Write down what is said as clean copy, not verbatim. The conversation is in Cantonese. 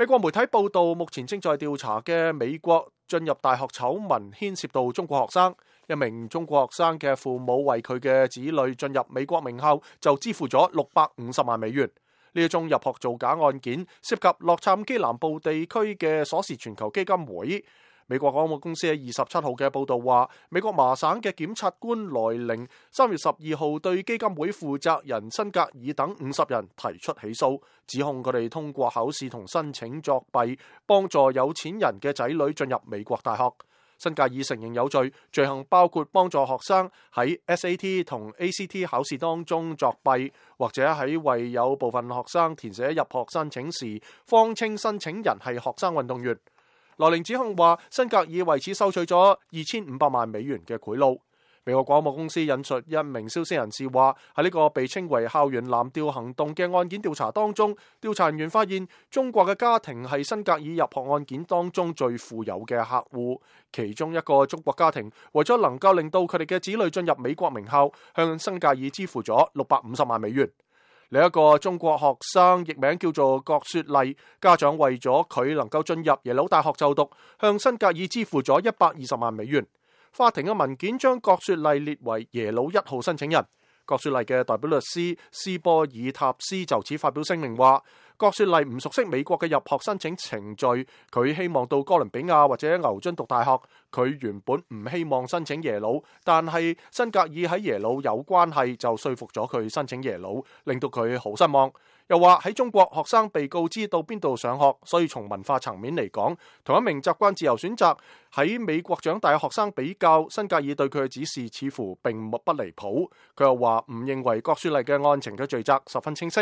美國媒體報道，目前正在調查嘅美國進入大學醜聞牽涉到中國學生。一名中國學生嘅父母為佢嘅子女進入美國名校就支付咗650萬美元。呢一宗入學造假案件涉及洛杉磯南部地區嘅鎖匙全球基金會。美國廣播公司喺27號嘅報道話，美國麻省嘅檢察官萊寧3月12號對基金會負責人辛格爾等50人提出起訴，指控佢哋通過考試同申請作弊，幫助有錢人嘅仔女進入美國大學。辛格爾承認有罪，罪行包括幫助學生喺 SAT 同 ACT 考試當中作弊，或者喺為有部分學生填寫入學申請時，謊稱申請人係學生運動員。萊寧指控話，辛格爾為此收取咗2500萬美元嘅賄賂。美國廣播公司引述一名消息人士話，喺呢個被稱為校園藍調行動嘅案件調查當中，調查人員發現中國嘅家庭係辛格爾入學案件當中最富有嘅客戶。其中一個中國家庭為咗能夠令到佢哋嘅子女進入美國名校，向辛格爾支付咗650萬美元。另一個中國學生譯名叫做郭雪麗，家長為咗佢能夠進入耶魯大學就讀，向辛格爾支付咗120萬美元。法庭嘅文件將郭雪麗列為耶魯1號申請人。郭雪麗嘅代表律師斯波爾塔斯就此發表聲明話，郭雪麗唔熟悉美國嘅入學申請程序，佢希望到哥倫比亞或者牛津讀大學。佢原本唔希望申請耶魯，但係辛格爾喺耶魯有關係，就說服咗佢申請耶魯，令到佢好失望。又話喺中國學生被告知到邊度上學，所以從文化層面嚟講，同一名習慣自由選擇喺美國長大嘅學生比較，辛格爾對佢嘅指示似乎並不離譜。佢又話唔認為郭雪麗嘅案情嘅罪責十分清晰。